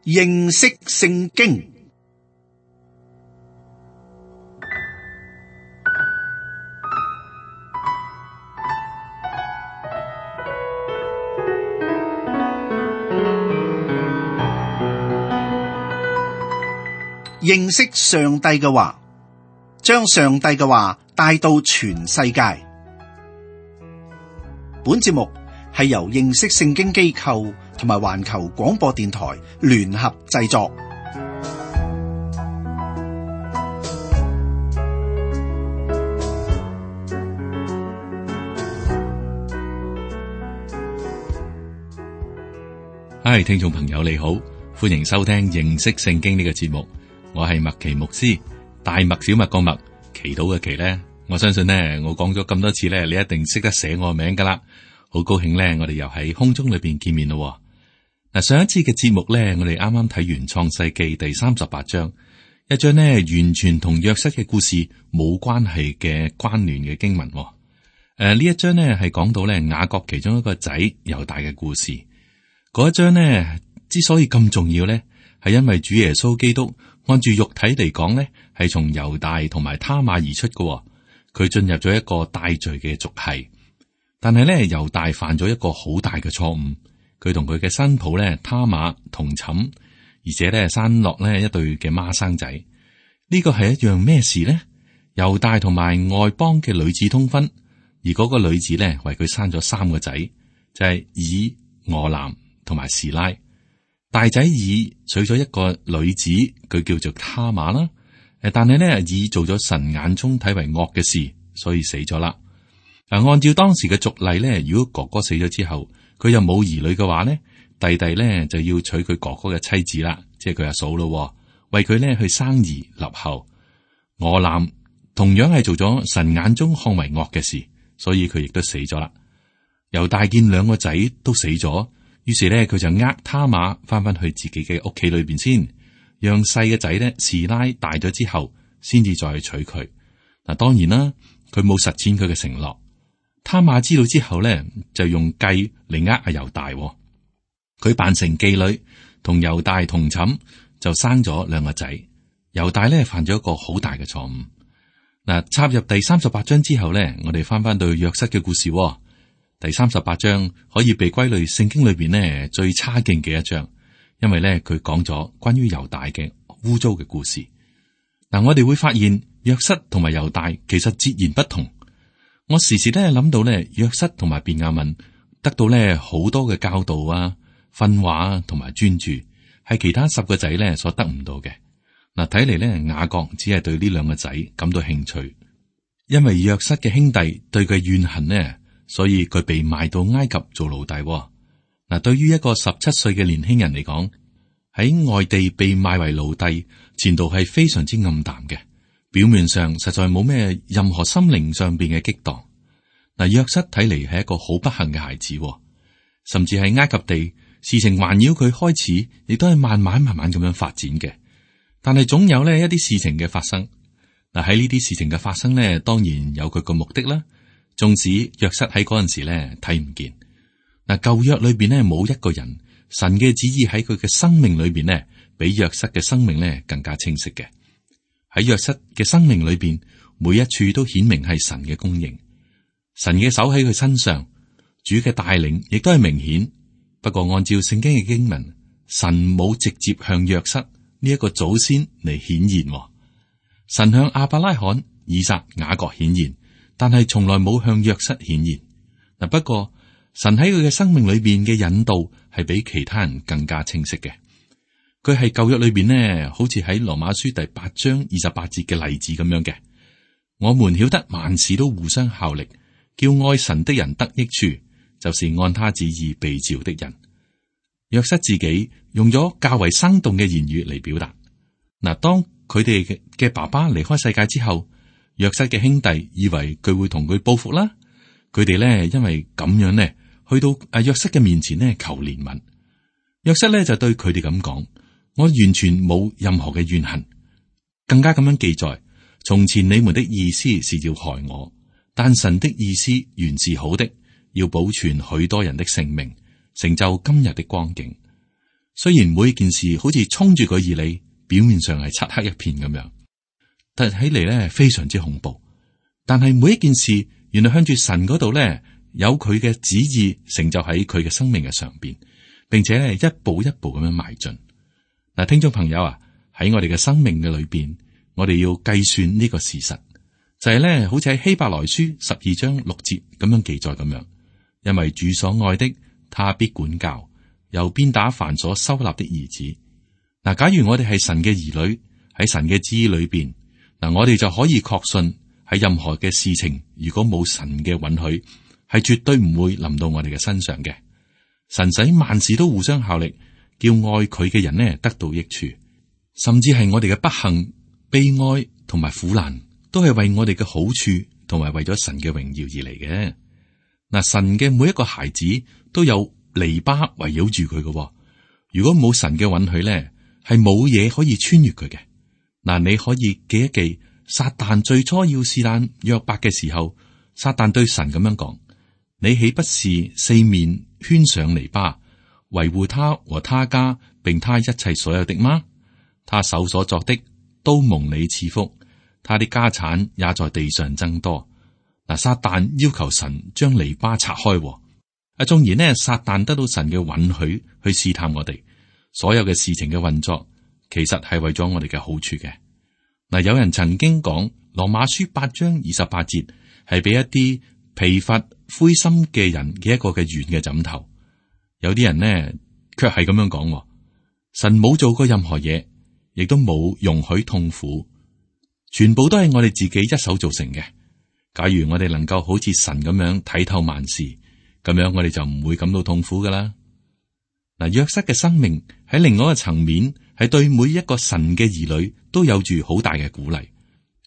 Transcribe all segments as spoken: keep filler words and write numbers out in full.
認識聖經。認識上帝嘅話，將上帝嘅話帶到全世界。本節目係由認識聖經機構同埋環球廣播電台聯合製作。嗨，聽眾朋友你好，歡迎收聽認識聖經呢個節目。我係麥奇牧師，大麥小麥個麥，祈禱嘅祈咧，我相信呢，我講咗咁多次咧，你一定識得寫我名噶啦。好高興咧，我哋又喺空中裏邊見面咯。嗱，上一次嘅節目咧，我哋啱啱睇完創世記第三十八章，一章呢完全同約瑟嘅故事冇關係嘅關聯嘅經文。誒、呃，呢一章呢係講到咧雅各其中一個仔猶大嘅故事。嗰一章呢之所以咁重要咧，係因為主耶穌基督按住肉體嚟講咧，係從猶大同埋他瑪而出嘅。佢進入咗一個帶罪嘅族系，但係咧猶大犯咗一個好大嘅錯誤。佢同佢嘅新抱咧他瑪同寢，而且咧生落咧一對嘅孖生仔。呢個係一樣咩事呢？猶大同埋外邦嘅女子通婚，而嗰個女子咧為佢生咗三個仔，就係以、俄南同埋示拉。大仔以娶咗一個女子，佢叫做他瑪啦。誒，但係咧以做咗神眼中睇為惡嘅事，所以死咗啦。嗱，按照當時嘅俗例咧，如果哥哥死咗之後，佢又冇兒女嘅話咧，弟弟咧就要娶佢哥哥嘅妻子啦，即係佢阿嫂咯，為佢咧去生兒立後。俄南同樣係做咗神眼中看為惡嘅事，所以佢亦都死咗啦。猶大見兩個仔都死咗。於是咧，佢就呃他瑪翻返去自己嘅屋企裏邊先，讓細嘅仔咧示拉大咗之後，先至再去娶佢。嗱，當然啦，佢冇實踐佢嘅承諾。他瑪知道之後咧，就用計嚟呃阿猶大。佢扮成妓女，同猶大同寢，就生咗兩個仔。猶大咧犯咗一個好大嘅錯誤。嗱，插入第三十八章之後咧，我哋翻翻到約瑟嘅故事。第三十八章可以被歸類聖經裏邊呢最差勁嘅一章，因為咧佢講咗關於猶大嘅污糟嘅故事。嗱，我哋會發現約瑟同埋猶大其實截然不同。我時時咧諗到咧約瑟同埋便雅憫得到咧好多嘅教導啊、訓話啊同埋專注，係其他十個仔咧所得唔到嘅。嗱，睇嚟咧雅各只係對呢兩個仔感到興趣，因為約瑟嘅兄弟對佢怨恨呢。所以佢被賣到埃及做奴隸。嗱，對於一個十七歲嘅年輕人嚟講，喺外地被賣為奴隸，前途係非常之暗淡嘅。表面上實在冇咩任何心靈上邊嘅激盪。嗱，約瑟睇嚟係一個好不幸嘅孩子，甚至係埃及地事情環繞佢開始，亦都係慢慢慢慢咁樣發展嘅。但係總有呢一啲事情嘅發生。嗱，喺呢啲事情嘅發生呢，當然有佢個目的啦。縱使約瑟喺嗰陣時咧睇唔見，嗱，舊約裏邊咧冇一個人，神嘅旨意喺佢嘅生命裏邊咧，比約瑟嘅生命咧更加清晰嘅。喺約瑟嘅生命裏邊，每一處都顯明係神嘅供應，神嘅手喺佢身上，主嘅帶領亦都係明顯。不過按照聖經嘅經文，神冇直接向約瑟呢一個祖先嚟顯現，神向亞伯拉罕、以撒、雅各顯現。但係從來冇向約瑟顯現。嗱，不過神喺佢嘅生命裏邊嘅引導係比其他人更加清晰嘅。佢係舊約裏邊呢，好似喺羅馬書第八章二十八節嘅例子咁樣嘅。我們曉得萬事都互相效力，叫愛神的人得益處，就是按他旨意被召的人。約瑟自己用咗較為生動嘅言語嚟表達。嗱，當佢哋嘅爸爸離開世界之後，約瑟嘅兄弟以為佢會同佢報復啦，佢哋咧因為咁樣咧，去到阿約瑟嘅面前咧求憐憫。約瑟咧就對佢哋咁講：我完全冇任何嘅怨恨，更加咁樣記載：從前你們的意思是要害我，但神的意思原是好的，要保存許多人的性命，成就今日的光景。雖然每件事好似衝住佢而嚟，表面上係漆黑一片咁樣，睇起嚟咧非常之恐怖。但係每一件事，原來向住神嗰度咧，有佢嘅旨意成就喺佢嘅生命嘅上邊，並且咧一步一步咁樣邁進。嗱，聽眾朋友啊，喺我哋嘅生命嘅裏邊，我哋要計算呢個事實，就係咧，好似喺希伯來書十二章六節咁樣記載咁樣，因為主所愛的，他必管教，又鞭打凡所收納的兒子。嗱，假如我哋係神嘅兒女，喺神嘅旨意裏邊，嗱，我哋就可以確信喺任何嘅事情，如果冇神嘅允許，係絕對唔會臨到我哋嘅身上嘅。神使萬事都互相效力，叫愛佢嘅人呢得到益處，甚至係我哋嘅不幸、悲哀同埋苦難，都係為我哋嘅好處同埋為咗神嘅榮耀而嚟嘅。嗱，神嘅每一個孩子都有籬笆圍繞住佢嘅。如果冇神嘅允許咧，係冇嘢可以穿越佢嘅。嗱，你可以記一記，撒旦最初要試探約伯嘅時候，撒旦對神咁樣講：你豈不是四面圈上籬笆，維護他和他家，並他一切所有的嗎？他手所作的都蒙你賜福，他的家產也在地上增多。嗱，撒旦要求神將籬笆拆開。啊，縱然呢，撒旦得到神嘅允許去試探我哋，所有嘅事情嘅運作，其實係為咗我哋嘅好處嘅。嗱，有人曾經講羅馬書八章二十八節係俾一啲疲乏灰心嘅人嘅一個嘅軟嘅枕頭。有啲人呢，卻係咁樣講，神冇做過任何嘢，亦都冇容許痛苦，全部都係我哋自己一手造成嘅。假如我哋能夠好似神咁樣睇透萬事，咁樣我哋就唔會感到痛苦噶啦。嗱，約瑟嘅生命喺另外一個層面，係對每一個神嘅兒女都有住好大嘅鼓勵。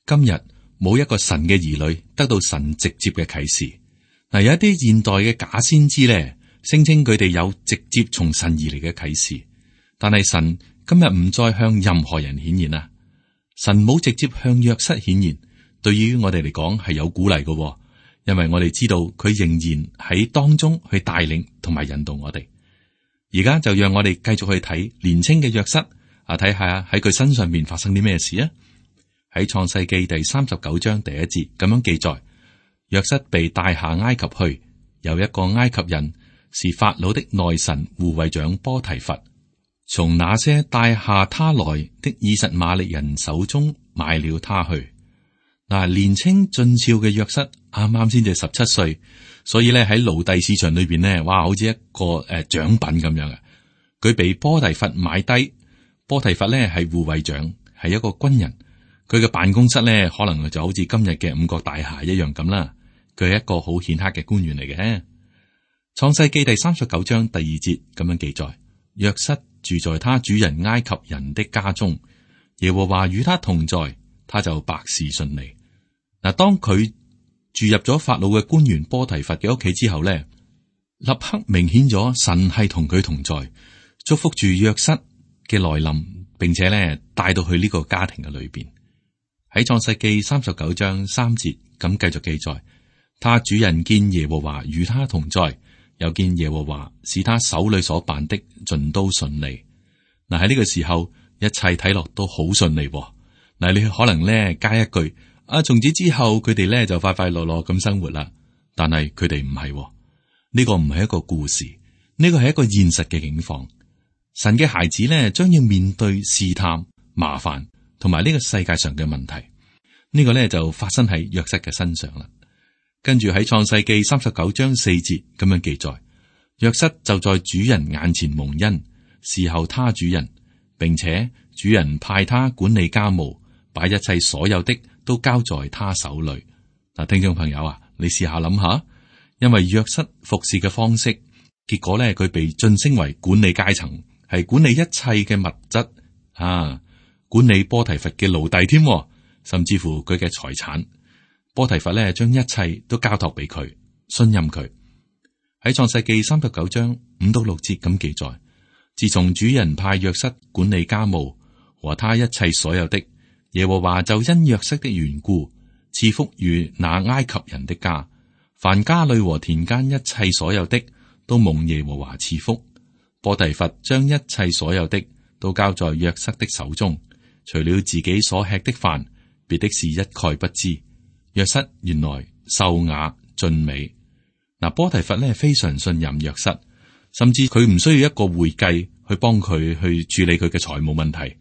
今日冇一個神嘅兒女得到神直接嘅啟示。嗱，有一啲現代嘅假先知咧，聲稱佢哋有直接從神而嚟嘅啟示，但係神今日唔再向任何人顯現啦。神冇直接向約瑟顯現，對於我哋嚟講係有鼓勵嘅，因為我哋知道佢仍然喺當中去帶領同埋引導我哋。而家就讓我哋繼續去睇年青嘅約瑟啊，睇下喺佢身上面發生啲咩事啊。喺創世記第三十九章第一節咁樣記載，約瑟被帶下埃及去，有一個埃及人是法老的內臣護衛長波提乏，從那些帶下他來的以實瑪利人手中買了他去。嗱，年青俊俏嘅約瑟啱啱先至十七歲，所以咧喺奴隸市場裏邊呢，哇，好似一個誒獎品咁樣嘅。佢被波提乏買低，波提乏咧係護衛長，係一個軍人。佢嘅辦公室咧，可能就好似今日嘅五角大廈一樣咁啦。佢係一個好顯赫嘅官員嚟嘅。創世記第三十九章第二節咁樣記載：約瑟住在他主人埃及人的家中，耶和華與他同在，他就百事順利。嗱，當佢住入咗法老嘅官員波提乏嘅屋企之後咧，立刻明顯咗神係同佢同在，祝福住約瑟嘅來臨，並且咧帶到去呢個家庭嘅裏邊。喺創世記三十九章三節咁繼續記載，他主人見耶和華與他同在，又見耶和華使他手裏所辦的盡都順利。嗱，喺呢個時候，一切睇落都好順利。嗱，你可能咧加一句啊，從此之後佢哋咧就快快樂樂咁生活啦。但係佢哋唔係，呢個唔係一個故事，呢個係一個現實嘅境況。神嘅孩子咧將要面對試探、麻煩。同埋呢個世界上嘅問題，呢、呢個咧就發生喺約瑟嘅身上啦。跟住喺創世記三十九章四節咁樣記載，約瑟就在主人眼前蒙恩，侍候他主人，並且主人派他管理家務，把一切所有的都交在他手裏。嗱，聽眾朋友啊，你試下諗下，因為約瑟服侍嘅方式，結果咧佢被晉升為管理階層，係管理一切嘅物質啊。管理波提乏嘅奴隸添，甚至乎佢嘅財產。波提乏咧將一切都交託俾佢，信任佢。喺創世記三十九章五到六節咁記載，自從主人派約瑟管理家務和他一切所有的，耶和華就因約瑟的緣故賜福於那埃及人的家，凡家裏和田間一切所有的都蒙耶和華賜福。波提乏將一切所有的都交在約瑟的手中，除了自己所吃的飯，別的事一概不知。約瑟原來秀雅俊美。嗱，波提乏咧非常信任約瑟，甚至佢唔需要一個會計去幫佢去處理佢嘅財務問題，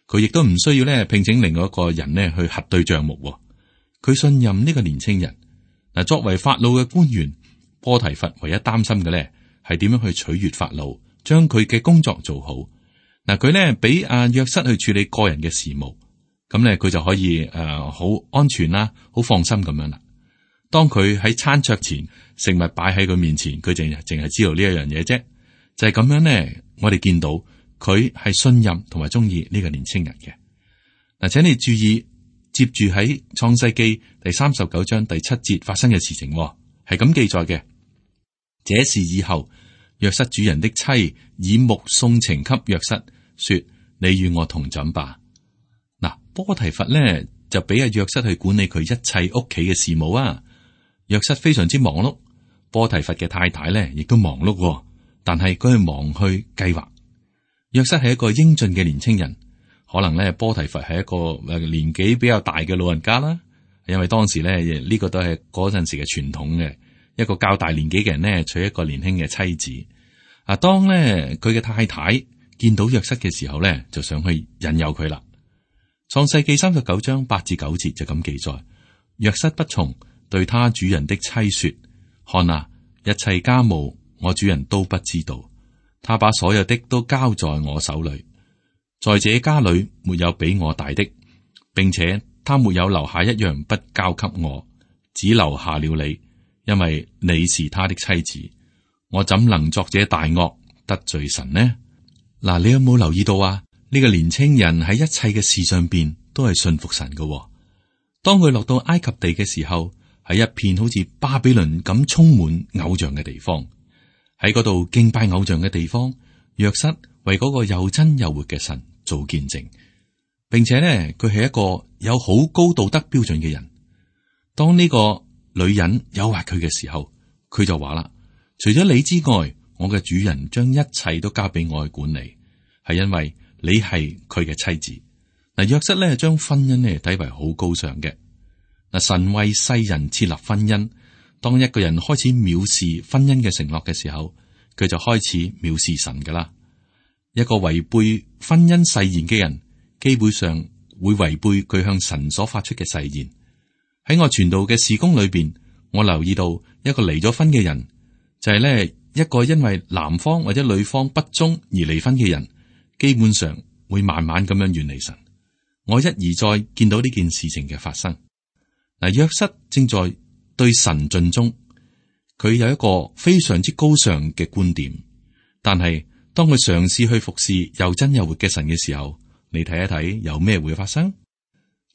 佢亦都唔需要咧聘請另外一個人咧去核對賬目。佢信任呢個年青人。嗱，作為法老嘅官員，波提乏唯一擔心嘅咧係點樣去取悅法老，將佢嘅工作做好。嗱，佢咧俾阿約瑟去處理個人嘅事務，咁咧佢就可以誒好、呃、安全啦，好放心咁樣啦。當佢喺餐桌前，食物擺喺佢面前，佢淨係淨係知道呢一樣嘢啫。就係、是、咁樣咧，我哋見到佢係信任同埋中意呢個年青人嘅。嗱，請你注意，接住喺創世記第三十九章第七節發生嘅事情，係咁記載嘅。這事以後，約瑟主人的妻以目送情給約瑟，說：你與我同枕吧。嗱，波提乏咧就俾阿約瑟去管理佢一切屋企嘅事務啊。約瑟非常之忙碌，波提乏嘅太太咧亦都忙碌，但係佢係忙去計劃。約瑟係一個英俊嘅年青人，可能咧波提乏係一個誒年紀比較大嘅老人家啦，因為當時咧呢個都係嗰陣時嘅傳統嘅，一個較大年紀嘅人咧娶一個年輕嘅妻子。啊，當咧佢嘅太太見到約瑟嘅時候咧，就想去引誘佢啦。創世記三十九章八至九節就咁記載，約瑟不從，對他主人的妻說：看啊，一切家務我主人都不知道，他把所有的都交在我手裏，在這家裏沒有比我大的，並且他沒有留下一樣不交給我，只留下了你，因為你是他的妻子。我怎能作這大惡得罪神呢？嗱，你有冇留意到啊？呢、這個年青人喺一切嘅事上邊都係信服神嘅、哦。當佢落到埃及地嘅時候，喺一片好似巴比倫咁充滿偶像嘅地方，喺嗰度敬拜偶像嘅地方，約瑟為嗰個又真又活嘅神做見證，並且呢，佢係一個有好高道德標準嘅人。當呢個女人誘惑佢嘅時候，佢就話啦：除咗你之外，我嘅主人將一切都交俾我去管理，係因為你係佢嘅妻子。嗱，約瑟咧將婚姻咧睇為好高尚嘅。嗱，神為世人設立婚姻，當一個人開始藐視婚姻嘅承諾嘅時候，佢就開始藐視神噶啦。一個違背婚姻誓言嘅人，基本上會違背佢向神所發出嘅誓言。喺我傳道嘅事工裏邊，我留意到一個離咗婚嘅人，就係咧一個因為男方或者女方不忠而離婚嘅人，基本上會慢慢咁樣遠離神。我一而再見到呢件事情嘅發生。嗱，約瑟正在對神盡忠，佢有一個非常之高尚嘅觀點，但係當佢嘗試去服侍又真又活嘅神嘅時候，你睇一睇有咩會發生？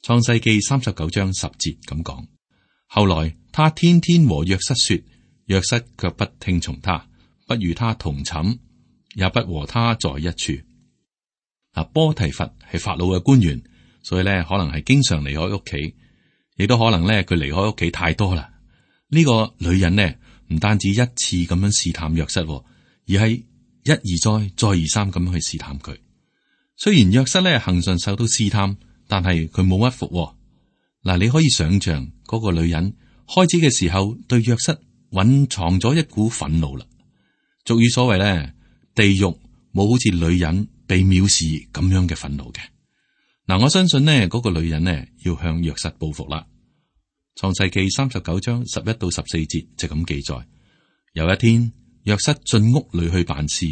創世記三十九章十節咁講，後來他天天和約瑟說，約瑟卻不聽從他，不與他同寢，也不和他在一處。嗱，波提乏係法老嘅官員，所以咧可能係經常離開屋企。亦都可能咧，佢離開屋企太多啦。呢、這個女人呢，唔單止一次咁樣試探約瑟，而係一而再、再而三咁樣去試探佢。雖然約瑟咧行順受到試探，但係佢冇屈服。嗱，你可以想象嗰、那個女人開始嘅時候對約瑟蘊藏咗一股憤怒啦。俗語所謂咧，地獄冇好似女人被藐視咁樣嘅憤怒嘅。嗱，我相信呢嗰個女人呢要向約瑟報復啦。創世記三十九章十一到十四節就咁記載：有一天，約瑟進屋裏去辦事，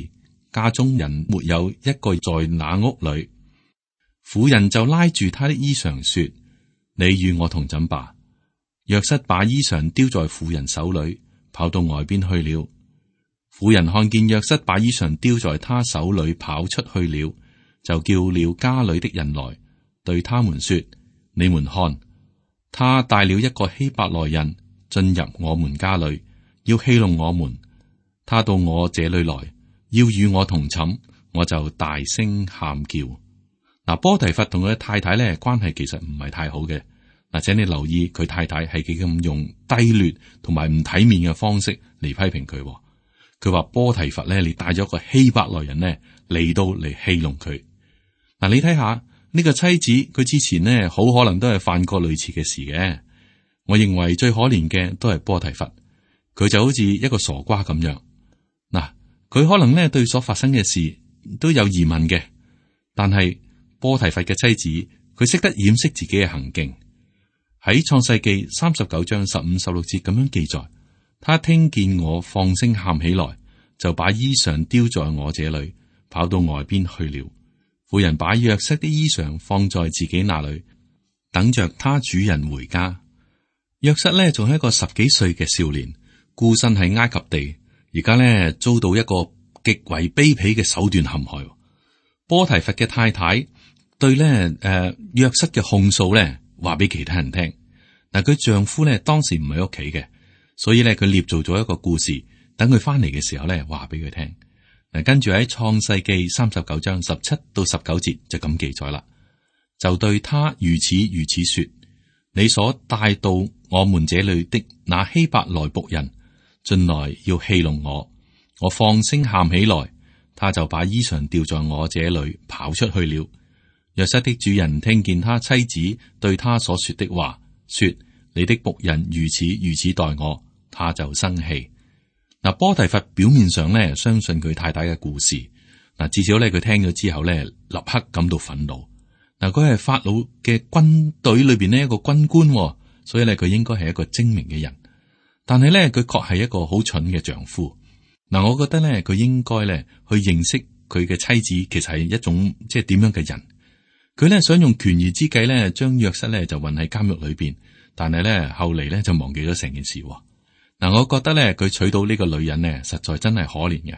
家中人沒有一個在那屋裏。婦人就拉住他的衣裳說：你與我同枕吧。約瑟把衣裳丟在婦人手裏，跑到外邊去了。婦人看見約瑟把衣裳丟在他手裏跑出去了，就叫了家裏的人來。對他們說：你們看，他帶了一個希伯來人進入我們家裏，要戲弄我們。他到我這裏來，要與我同寢，我就大聲喊叫。嗱，波提乏同佢嘅太太咧關係其實唔係太好嘅。嗱，請你留意佢太太係幾咁用低劣同埋唔體面嘅方式嚟批評佢。佢話波提乏咧，你帶咗個希伯來人呢嚟到嚟戲弄佢。嗱，你睇下呢個妻子，佢之前呢好可能都係犯過類似嘅事嘅。我認為最可憐嘅都係波提乏，佢就好似一個傻瓜咁樣。嗱，佢可能呢對所發生嘅事都有疑問嘅，但係波提乏嘅妻子，佢識得掩飾自己嘅行徑。喺創世記三十九章十五十六節咁樣記載，他聽見我放聲喊起來，就把衣裳丟在我這裏，跑到外邊去了。婦人把約瑟的衣裳放在自己那裏，等着他主人回家。約瑟呢仲係一個十幾歲嘅少年，孤身喺埃及地，而家呢遭到一個極為卑鄙嘅手段陷害。波提乏嘅太太對呢誒約瑟嘅控訴呢話俾其他人聽。嗱，佢丈夫呢當時唔喺屋企嘅，所以呢佢捏造咗一個故事，等佢翻嚟嘅時候呢話俾佢聽。嗱，跟住喺創世記三十九章十七到十九節就咁記載啦，就對他如此如此說：你所帶到我們這裏的那希伯來僕人進來要戲弄我，我放聲喊起來，他就把衣裳掉在我這裏跑出去了。約瑟的主人聽見他妻子對他所說的話，說：你的僕人如此如此待我，他就生氣。嗱，波提乏表面上咧相信佢太太嘅故事，嗱，至少咧佢聽咗之後咧立刻感到憤怒。嗱，佢係法老嘅軍隊裏邊呢一個軍官，所以咧佢應該係一個精明嘅人。但係咧佢確係一個好蠢嘅丈夫。嗱，我覺得咧佢應該咧去認識佢嘅妻子，其實係一種即係點樣嘅人。佢咧想用權宜之計咧將約瑟咧就運喺監獄裏邊，但係咧後嚟咧就忘記咗成件事。嗱，我覺得咧佢娶到呢個女人呢，實在真係可憐嘅。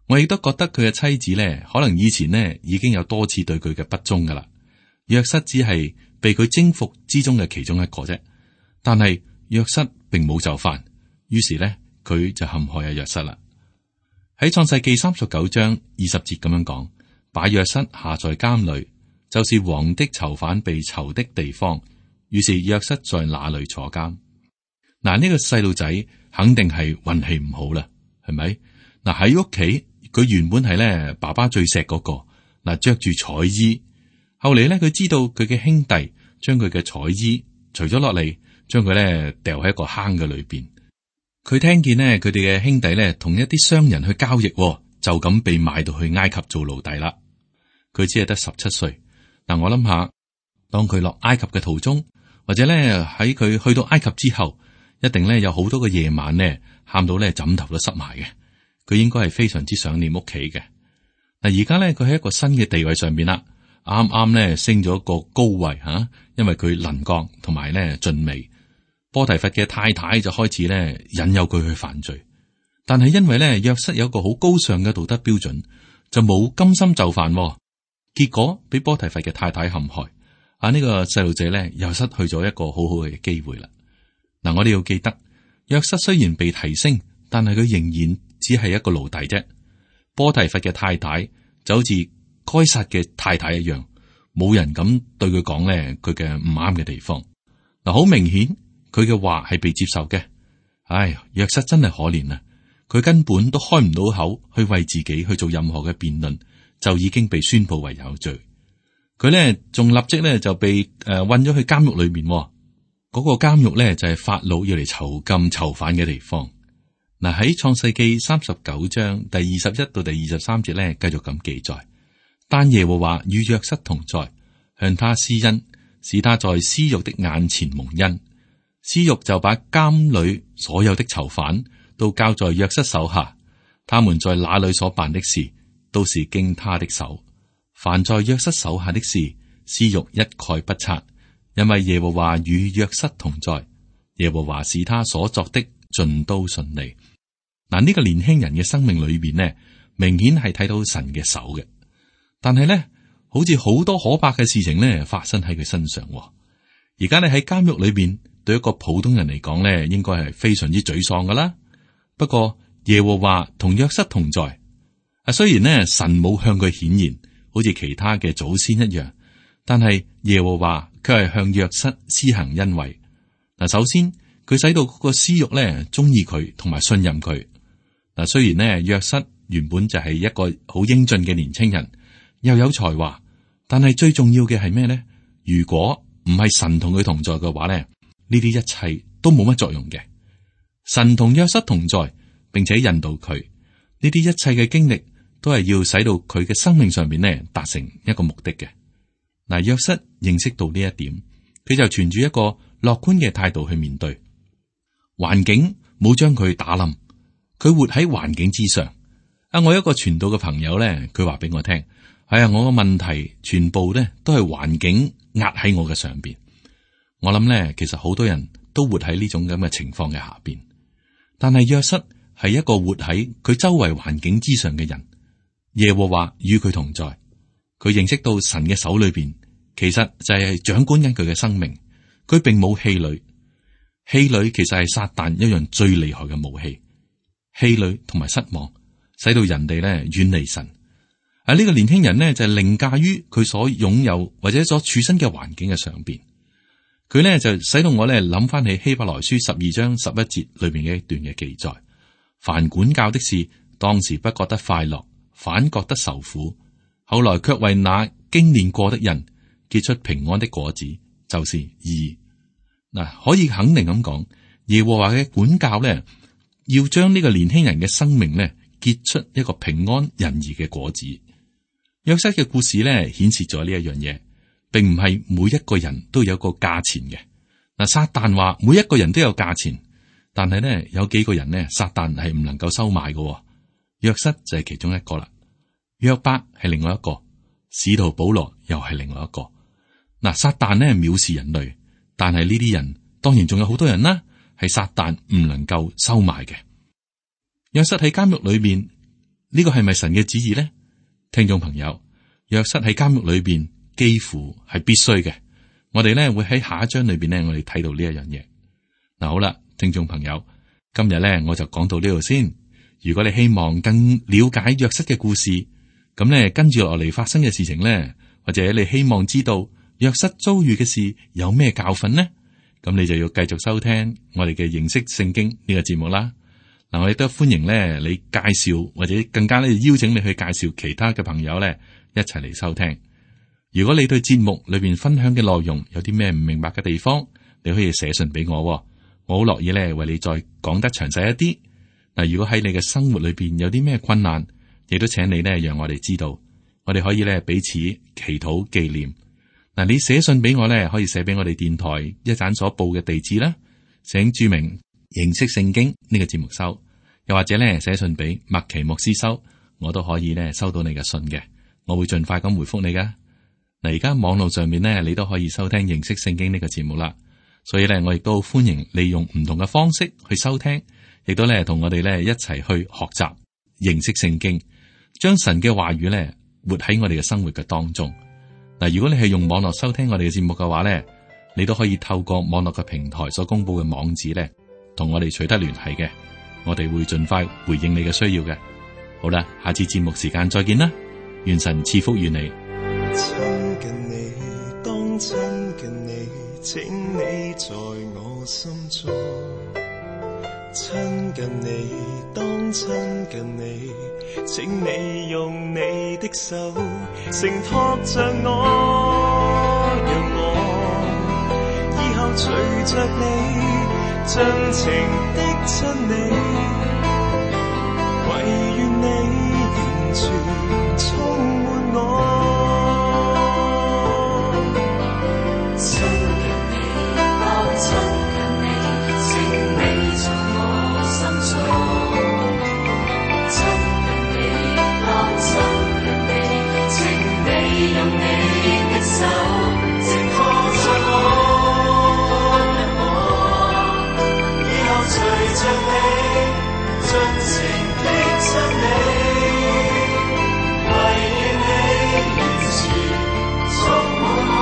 我亦都覺得佢嘅妻子呢，可能以前呢已經有多次對佢嘅不忠噶啦。約瑟只係被佢征服之中嘅其中一個啫，但係約瑟並冇就範，於是呢，佢就陷害阿約瑟啦。喺創世記三十九章二十節咁樣講，把約瑟下在監裏，就是王的囚犯被囚的地方。於是約瑟在那裏坐監。嗱，呢個細路仔肯定係運氣唔好啦，係咪？嗱，喺屋企佢原本係咧爸爸最錫嗰個，嗱，着住彩衣。後嚟咧佢知道佢嘅兄弟將佢嘅彩衣除咗落嚟，將佢咧掉喺一個坑嘅裏邊。佢聽見呢，佢哋嘅兄弟咧同一啲商人去交易，就咁被賣到去埃及做奴隸啦。佢只係得十七歲。嗱，我諗下，當佢落埃及嘅途中，或者咧喺佢去到埃及之後，一定咧有好多個夜晚咧，喊到咧枕頭都濕埋嘅。佢應該係非常之想念屋企嘅。嗱，而家咧佢喺一個新嘅地位上邊啦，啱啱咧升咗一個高位吓、啊，因為佢能幹同埋咧俊美。波提乏嘅太太就開始咧引誘佢去犯罪，但係因為咧約瑟有一個好高尚嘅道德標準，就冇甘心就範，結果俾波提乏嘅太太陷害。啊，呢個細路仔咧又失去咗一個好好嘅機會啦。嗱，我哋要記得，約瑟雖然被提升，但係佢仍然只係一個奴隸啫。波提乏嘅太太就好似該撒嘅太太一樣，冇人敢對佢講咧佢嘅唔啱嘅地方。嗱，好明顯佢嘅話係被接受嘅。唉，約瑟真係可憐啊！佢根本都開唔到口去為自己去做任何嘅辯論，就已經被宣布為有罪。佢咧仲立即咧就被誒運咗去監獄裏面。嗰個監獄咧就係法老要嚟囚禁囚犯嘅地方。嗱，喺創世記三十九章第二十一到第二十三節咧，繼續咁記載。但耶和華與約瑟同在，向他施恩，使他在司獄的眼前蒙恩。司獄就把監裏所有的囚犯都交在約瑟手下，他們在那裏所辦的事，都是經他的手。凡在約瑟手下的事，司獄一概不察。因為耶和華與約瑟同在，耶和華使他所作的盡都順利。嗱，呢個年輕人嘅生命裏邊呢，明顯係睇到神嘅手嘅。但係呢，好似好多可怕嘅事情呢發生喺佢身上。而家你喺監獄裏邊，對一個普通人嚟講呢，應該係非常之沮喪噶啦。不過耶和華同約瑟同在。啊，雖然呢神冇向佢顯現，好似其他嘅祖先一樣，但係耶和華佢係向約瑟施行恩惠。嗱，首先佢使到嗰個司獄咧中意佢同埋信任佢。嗱，雖然呢，約瑟原本就係一個好英俊嘅年青人，又有才華，但係最重要嘅係咩呢？如果唔係神同佢同在嘅話呢，呢啲一切都冇乜作用嘅。神同約瑟同在，並且引導佢，呢啲一切嘅經歷都係要使到佢嘅生命上面呢達成一個目的嘅。嗱，約瑟認識到呢一點，佢就存住一個樂觀嘅態度去面對環境，冇將佢打冧，佢活喺環境之上。啊，我一個傳道嘅朋友咧，佢話俾我聽，係啊，我嘅問題全部咧都係環境壓喺我嘅上邊。我諗咧，其實好多人都活喺呢種咁嘅情況嘅下邊，但係約瑟係一個活喺佢周圍環境之上嘅人。耶和華與佢同在，佢認識到神嘅手裏邊其實就係掌管緊佢嘅生命，佢並冇氣餒。氣餒其實係撒旦一樣最厲害嘅武器，氣餒同埋失望，使到人哋咧遠離神。啊，呢個年輕人呢，就係凌駕於佢所擁有或者所處身嘅環境嘅上邊。佢呢，就使到我咧諗翻起希伯來書十二章十一節裏邊嘅一段嘅記載：凡管教的事，當時不覺得快樂，反覺得受苦，後來卻為那經練過的人結出平安的果子，就是義。嗱，可以肯定咁講，耶和華嘅管教咧，要將呢個年輕人嘅生命咧結出一個平安仁義嘅果子。約瑟嘅故事咧顯示咗呢一樣嘢，並唔係每一個人都有個價錢嘅。嗱，撒旦話每一個人都有價錢，但係咧有幾個人咧，撒旦係唔能夠收買嘅。約瑟就係其中一個啦，約伯係另外一個，使徒保羅又係另外一個。嗱，撒旦咧藐視人類。但係呢啲人當然仲有好多人啦，係撒旦唔能夠收買嘅。約瑟喺監獄裏邊，呢個係咪神嘅旨意呢？聽眾朋友，約瑟喺監獄裏邊幾乎係必須嘅。我哋咧會喺下一章裏邊咧，我哋睇到呢一樣嘢。嗱，好啦，聽眾朋友，今日咧我就講到呢度先。如果你希望更了解約瑟嘅故事，咁咧跟住落嚟發生嘅事情咧，或者你希望知道約瑟遭遇嘅事有咩教訓呢？咁你就要繼續收聽我哋嘅認識聖經呢個節目啦。嗱，我亦都歡迎咧你介紹或者更加咧邀請你去介紹其他嘅朋友咧一齊嚟收聽。如果你對節目裏邊分享嘅內容有啲咩唔明白嘅地方，你可以寫信俾我，我好樂意咧為你再講得詳細一啲。嗱，如果喺你嘅生活裏邊有啲咩困難，亦都請你咧讓我哋知道，我哋可以咧彼此祈禱紀念。嗱，你寫信俾我咧，可以寫俾我哋電台一盞所報嘅地址啦，請注明認識聖經呢個節目收，又或者咧寫信俾麥奇牧師收，我都可以咧收到你嘅信嘅，我會盡快咁回覆你噶。嗱，而家網絡上面咧，你都可以收聽認識聖經呢個節目啦，所以咧我亦都歡迎利用唔同嘅方式去收聽，亦都咧同我哋咧一齊去學習認識聖經，將神嘅話語咧活喺我哋嘅生活嘅當中。嗱，如果你係用網絡收聽我哋嘅節目嘅話咧，你都可以透過網絡嘅平台所公布嘅網址咧，同我哋取得聯繫嘅，我哋會盡快回應你嘅需要嘅。好啦，下次節目時間再見啦，願神賜福與你。親近你，當親近你，請你在我心中。親近你，當親近你，請你用你的手承托着我，讓我以後隨着你，盡情的親你，唯願你完全充滿我。親近你，當親近你，請你在我心中。親近你，當親近你，請你用你的手承托着我，讓我以後隨着你，盡情的親你，唯願你完全充滿我。